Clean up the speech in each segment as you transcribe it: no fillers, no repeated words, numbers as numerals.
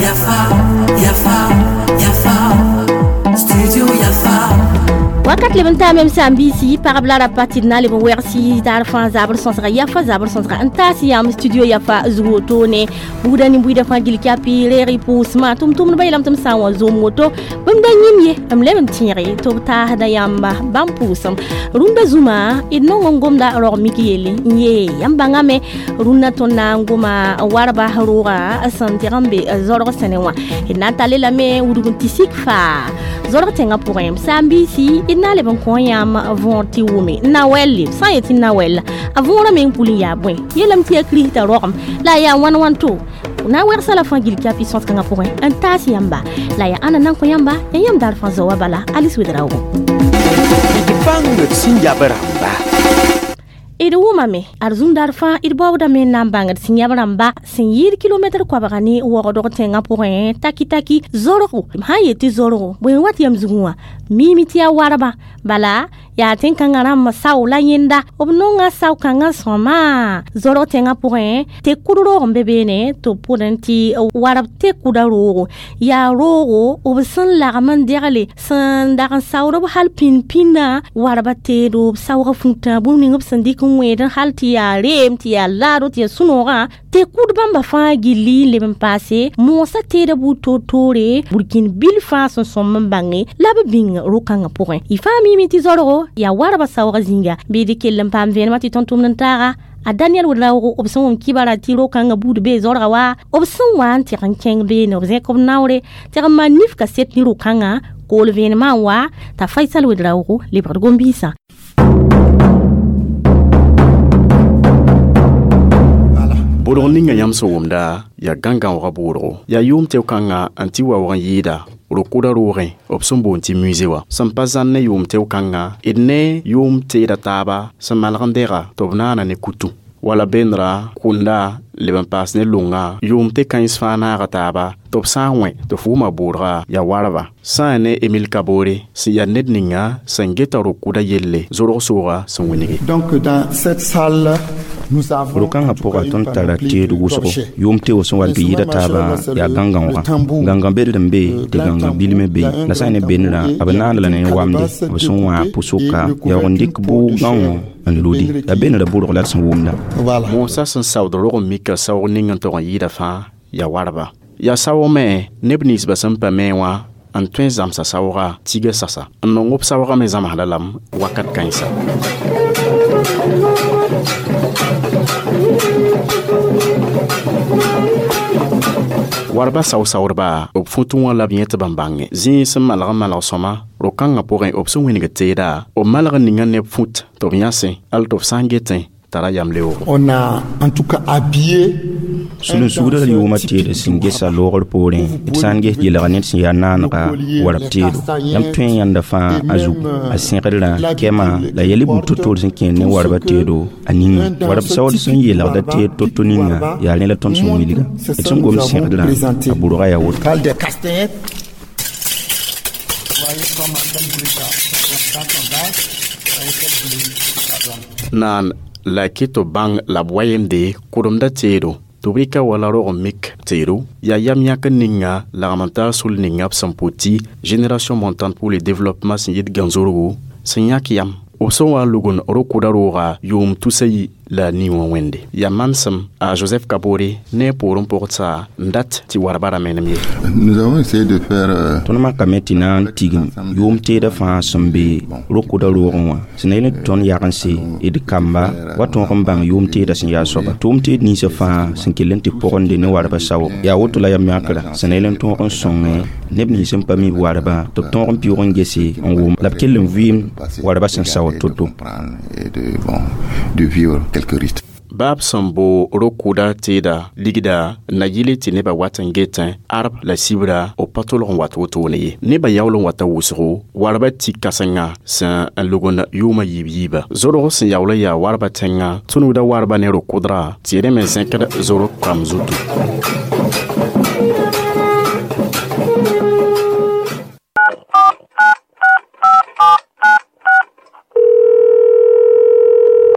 Yafa, Yafa, Yafa, Studio Yafa. Wakat leb n taame m sãn-biisi pagb la rapa tɩ d na n leb n wɛgsi daar fãa zabr sõsga yafa zabr sõsga n taas yãmb studio yafa zug wotone buudã nin-buiidã fãa gil kyapi reeg y pʋʋsmã tʋm-tʋmdbã yeelame tɩ m sã n wa zom woto bũmb da yĩm ye m leb n tẽege tɩ b taasda yãmba bãmb pʋʋsem rũndã zũma d nong n gomda rog mik yelle n yee yãmb bãngame rũndã tõnd na n goma warba rooga sẽn tɩg n be zorg sẽne wã d na n tall lame wudg n tɩ sik faa zorg tẽngã pʋgẽ m sãn-biisi d na n leb n kõ yãmb võor tɩ wʋme n na wɛlle b sã n yet tɩ na wɛlla a võorã meng pʋl n yaa bõe yeelame tɩ yaa kirista rogem la a yaa wãn wãn to na n wɛgsa la fãa gil kapi sõs-kãngã pʋgẽ n taas yãmba la yaa ãnna nan kõ yãmba ya yãmb daar fãa zao wa bala Alice Ouédraogo. D bãng d sẽn yab rãmba. D wʋmame ad zũmdaar fãa d baoodame n na n bãngd sẽn yãb rãmba sẽn yɩɩd kilomɛtr koabga ne waoogdg tẽngã pʋgẽ taki taki zorgo m sã n yet tɩ zorgo bõe n wat yam zugẽ wã miime tɩ yaa warba bala yaa tẽn-kãngã rãmb sao la yẽnda b nonga sao-kãngã sõma zorg tẽngã pʋgẽ tɩ kud roog n be beene tɩ b pʋdẽ tɩ warb tɩ kuda roogo yaa roogo b sẽn lagm n degle sẽn dag n saood b hal pĩnd-pĩndã warba teedo b saoogã fũtã bũmb ning b sẽn dɩk n wẽed hal tɩ yaa reem tɩ yaa laado tɩ yaa sũ-noogã tɩ kud bãmba fãa gilli n leb n paase moosã teeda buud toor-toore burkĩn bil fãa sẽn sõm n bãnge la b bĩng ro-kãngã pʋgẽ y fãa miime tɩ zorgo yaa warba saoogã zĩnga bɩ d kell n paam vẽenemã tɩ tõnd tʋmd n taaga a Daniel Ouédraogo b sẽn wʋm kibara tɩ ro-kãngã buud bee zorga wa b sẽn wa n tɩg n kẽng beene b zẽk b naoore tɩg n maan nif kaset ne ro-kãngã kool vẽenemã n wa t'a Faisal Ouédraogo lebgd gom-biisã. Bʋdg ninga yãmb sẽn wʋmda yaa gãn-gãoogã bʋʋdgo yaa yʋʋm teo-kãngã n tɩ waoog n yɩɩda ro-kʋda roogẽ b sẽn boond tɩ musée wã sẽn pa zãn ne yʋʋm teo-kãngã d ne yʋʋm teeda taaba sẽn malg n dɛga tɩ b naana ne kutu wala bendra kʋnda leb n paas ne longa yʋʋm tɩ kãens fãa naaga taaba tɩ b sã n wẽ tɩ f wʋma bʋʋdga yaa warba sã n ne Emile Kabore sẽn yaa ned ninga sẽn geta ro-kʋda yelle zorg sooga sẽn wĩnge. Donc dans cette salle nous avons ro-kãngã pʋga tõnd tara teed wʋsgo yʋʋm teoog sẽn wa n tɩ yɩɩda taabã yaa gãn-gãoogã gãngã beld n be tɩ gãngã bil me be la sã n ne bendrã b naand la ne wamde b sẽn wã pʋ-sʋka yaoog n dɩk bʋʋg-gãongõ n ludi la bendrã bʋrg la d sẽn wʋmda. Moosã sẽn saood rog n mika saoog ning n tog n yɩɩda fãa yaa warba yaa saoog me neb ninsbã sẽn pa me wã n tõe n zãmsa saooga tiga sasa n nong b saoogã me zãmsda lame wakat kãensa. Warba sao-saoodba b fũtẽ wã la b yẽ tɩ b n bãnge zĩig sẽn malg n malg sõma ro-kãngã pʋgẽ b sẽn wĩneg teeda b malg n ninga neb fũt tɩ b yãsẽ al tɩ b sã n getẽ tara yam leoogo. On a en tout cas habillé Sulun-sugdã yʋʋmã teed sẽn gesa loogr poorẽ d sã n ges yelga ned sẽn yaa naanega warb teedo yãmb tõe n yãnda fãa a zugu a sẽgdrã kɛmã la yɛl buud to-toor sẽn kẽer ne warba teedo a ninga warb saood sẽn yeelgda teed to-to ninga yaa rẽ la tõnd sẽn wilga d sẽn gom sẽgdrã a bʋrga yaa woto. Parle des castagnettes. Voyez comment quel bruit ça. Quand on danse, voyez quel bruit ça donne. Naan la kɩ tɩ bãng la b wa yemde kʋdemda teedo tɩ b rɩka wala rog n mik teedo yaa yam yãk ninga lagm n tar sul ninga b sẽn pʋ tɩ Génération montante pour le développement sẽn yit gãn-zorgo sẽn yãk yam b sẽn wa n lugn ro-kʋda rooga yʋʋm tusa yi la nii wã wẽnde yaa mansem a Joseph Kabore ne a poorẽ pʋgdsa n dat tɩ warba ra menem ye. Nous avons essayé de faire Tõnd makame tɩ na n tigim yʋʋm teedã fãa sẽn be ro-kʋda roogẽ wã sẽn na yel tɩ tõnd yag n se d kamba wa tõog n bãng yʋʋm teedã sẽn yaa soaba tʋʋm teed ninsã fãa sẽn kell n tɩ pʋgende ne warba saoog yaa woto la yam yãkra sẽn na yel n tõog n sõngẽ neb nins sẽn pa mi b warba tɩ b tõog n pɩʋg n gese n wʋm la b kell n vɩɩm warba sẽn saood to-to. Et de, bon, de vivre quelques rites. Baab sẽn bo ro-kʋda teeda ligda na yɩle tɩ nebã wat n getẽ arb la sibra b pa tolg n wat wotone ye nebã yaool n wata wʋsgo warba tɩ kãsenga sẽn n lugnd yʋʋmã yiib yiiba zorg sẽn yaool n yaa warba tẽngã tũnugda warba ne ro-kʋdra tɩ rẽ me zẽkd zorg kam zutu.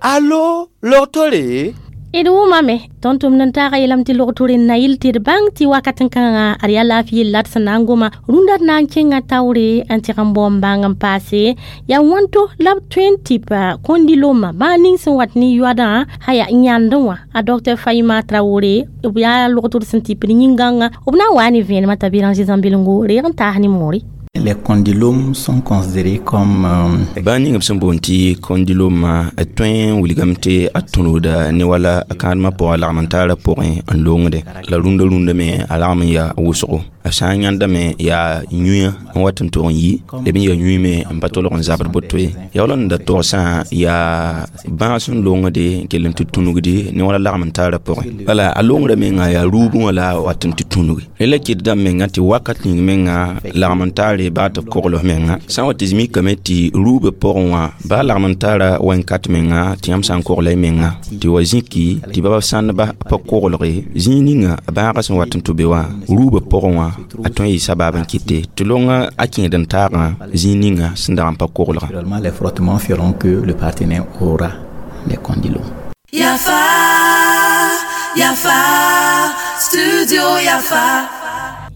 Allo, logtore? D wʋmame tõnd tʋmd n taaga yeelame tɩ log-tʋr n na yɩl tɩ d bãng tɩ wakat n kãngã ad yaa laafɩ yell la d sẽn na n goma rũndã d na n kẽnga taoore n tɩg n bao n bãng n paase yaa wãnto la b tõe n tɩp kondiloma bãa ning sẽn wat ne yoadã sã yaa n yãndẽ wã a docteur Faïma Traoré b yaa log-tʋr sẽn tɩpd yĩn-gãngã b na n waa ne vẽenemã t'a Béranger Zãmbelengo reeg n taas ne moore. Les condylomes sont considérés comme bãa ning b sẽn boond tɩ kondiloma a tõe n wilgame tɩ a tõrgda ne wala a kãadmã pʋgã lagm n taara pʋgẽ n longde la rũndã rũndã me a lagm n yaa wʋsgo a sã n yãndame yaa yũyã n wat n tog n yi leb n yaa yũy me n pa tolg n zabd boto ye yaa wala n da togsã yaa bãag sẽn longde n kell n tɩ tũnugdi ne wala lagm n taara pʋgẽ bala a longrã menga yaa ruubẽ wã la a wat n tɩ tũnugi rẽ la kɩt dãmb menga tɩ wakat ning menga lagm n taare baa tɩ b kogls menga sã n wa tɩ mikame tɩ ruubã pʋgẽ wã baa lagm n taara wẽn-kat menga tɩ yãmb sã n kogla y menga tɩ wa zĩki tɩ baba sãndba pa koglge zĩig ninga a bãagã sẽn wat n tɩ be wã ruubã pʋgẽ wã a tõe n yɩ sabaab n kɩte tɩ longa a kẽed n taagã zĩig ninga sẽn dag n pa koglga. Naturellement, les frottements feront que le partenaire aura les condylomes. Yafa, Yafa, Studio Yafa.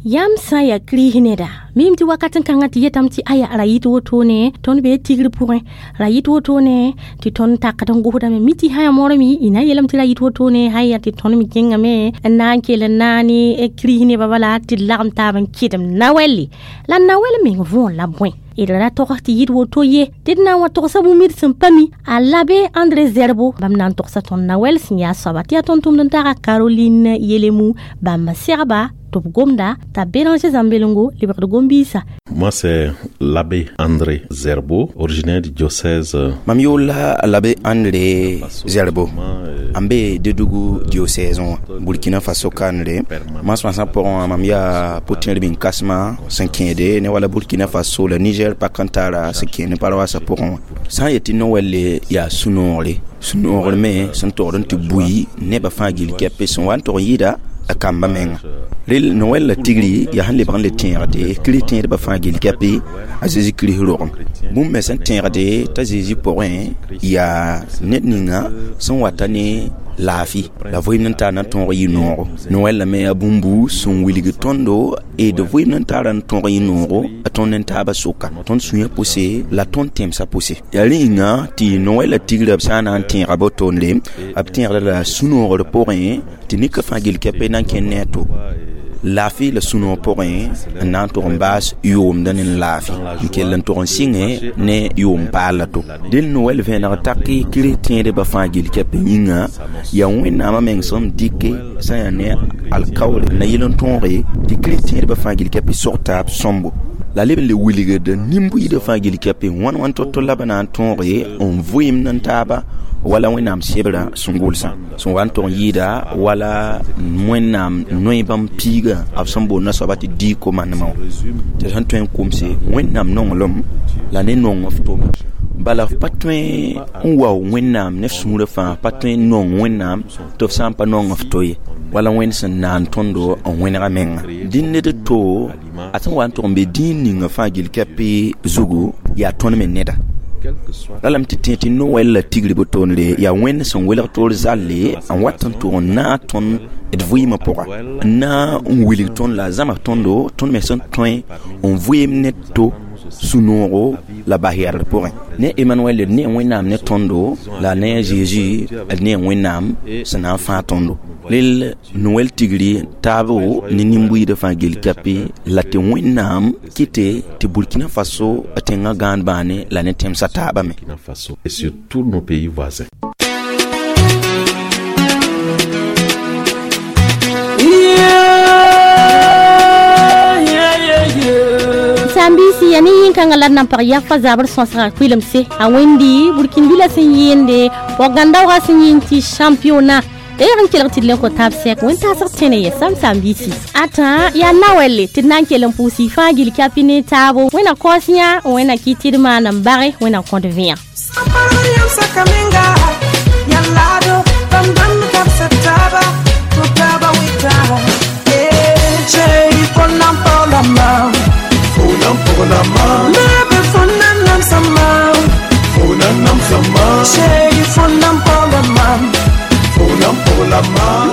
Yãmb sã n yaa kiris neda mim tɩ wakat n kãngã tɩ yetame tɩ aya ra yɩt wotone tõnd bee tigr pʋgẽ ra yɩt wotone tɩ tõnd takd n gosdame mi tɩ sã yaa moorame y na n yeelame tɩ ra yɩt wotone sã n yaa tɩ tõnd me kẽngame n na n kell n naane kiris nebã bala tɩ d lagem taab n kɩdem nawɛlle la nawɛl meng võor la bõe d ra togs tɩ yɩd woto ye tɩ d na n wa togsa bũmb d sẽn pa mi a l'abbé André Zerbo bãmb na n togsa tõnd nawɛl sẽn yaa soaba tɩ yaa tõnd tʋmd n taga Caroline Yelemu bãmb segba tɩ b gomda t'a Béranger Zãmbelengo lebgd gom-biisã. Moi, c'est l'abbé André Zerbo, originaire du diocèse. Mam yʋʋl la l'abbé André Zerbo n be Dédougou diocèse wã Burkina Faso kandre masmãsã pʋgẽ wã mam yaa pʋ-tẽer bĩn kãsmã sẽn kẽede ne wala Burkina Faso la Niger pak n tara sẽn kẽed ne paroasã pʋgẽ wã sã n yet tɩ Noɛlle yaa sũ-noogre sũ-noogr me sẽn togd n tɩ bui nebã fãa gill kɛpe sẽn wa n tog n yɩɩda a kamba menga rel Noël la tigri yaa sẽn lebg n le tẽegde kirist tẽedbã fãa gill kɛpe a Zeezi kirist rogem bũmb me sẽn tẽegde t'a Zeezi pʋgẽ yaa ned ninga sẽn wata ne laafɩ la vɩɩm n tar na n tõog yɩ noogo Noël la me yaa bũmbu sẽn wilg tõndo d vɩɩm n tara n tõog yɩ noogo a tõnd n taabã soka tõnd sũyã pʋse la tõnd tẽmsã pʋse yaa rẽ yĩnga tɩ Noël la tigrã b sã n na n tẽega botoonde b tẽegda la sũ-noogr pʋgẽ tɩ nika fãa gill kɛpe na n kẽnd ne a to laafɩ la sũ-noog pʋgẽ n na n tog n baas yʋʋmdã ne laafɩ n kell n tog n sɩngẽ ne yʋʋm paal la to dẽl Noël vẽeneg taki kirist tẽedbã fãa gill kɛpɛ yĩnga yaa wẽnnaamã meng sẽn dɩke sã n yaa ne alkaoore na yɩl n tõoge tɩ kirist tẽedbã fãa gill kɛpɛ sog taab sõmbo la leb n le wilgd nin-buiidã fãa gill kɛpɛ wãn wãn to-to la b na n tõoge n vɩɩmd n taaba wala wẽnnaam sebrã sẽn gʋlsã sẽn wa n tog n yɩɩda wala wẽnnaam noe bãmb piigã b sẽn boond nasoaba tɩ dii komandemã wã tɩ sẽn tõe n komse wẽnnaam nonglem la ne nong f tome bala f pa tõe n wao wẽnnaam ne f sũurã fãa pa tõe n nong wẽnnaam tɩ f sã n pa nong f to ye wala wẽnd sẽn naan tõndo n wẽnega menga dĩnd ned to a sẽn wa n tog n be dĩin ninga fãa gill kɛpɩ zugu yaa tõnd me neda la lame tɩ tẽ tɩ Noël la tigri botoonre yaa wẽnd sẽn welg toor zalle n wat n tʋg n naag tõnd d vɩɩmã pʋga n na n wilg tõnd la a zãma tõndo tõnd me sẽn tõe n vɩɩm ne to sũ-noogo la bas-yɛrdr pʋgẽ ne Emmanuel d ne wẽnnaam ne tõndo la ne a Jésus d ne wẽnnaam sẽn na n fãag tõndo rel Noël tigri taabo ne nin-buiidã fãa gill kɛpɩ la tɩ wẽnnaam kɩte tɩ Burkina Faso tẽngã gãand bãane la ne tẽmsã taabã me. Burkina Faso et sur tous nos pays voisins. Sambisi ya ne yĩn-kãngã la d na n pag yafa zabr sõsgã kʋɩlemse a wẽndi burkinbila sẽn yɩɩnde pɔg-gãn-daoogã sẽn yɩɩn tɩ championnat reeg n kelg tɩ d len kõ taab sɛk wẽn-taasg tẽne ye sam sambisi ãtã yaa nawɛlle tɩ d na n kell n pʋʋs y fãa gill kɛpɩ ne taabo wẽna kaoos yã wẽna kɩ tɩ d maan n bage wẽna kõt vẽa. Sama.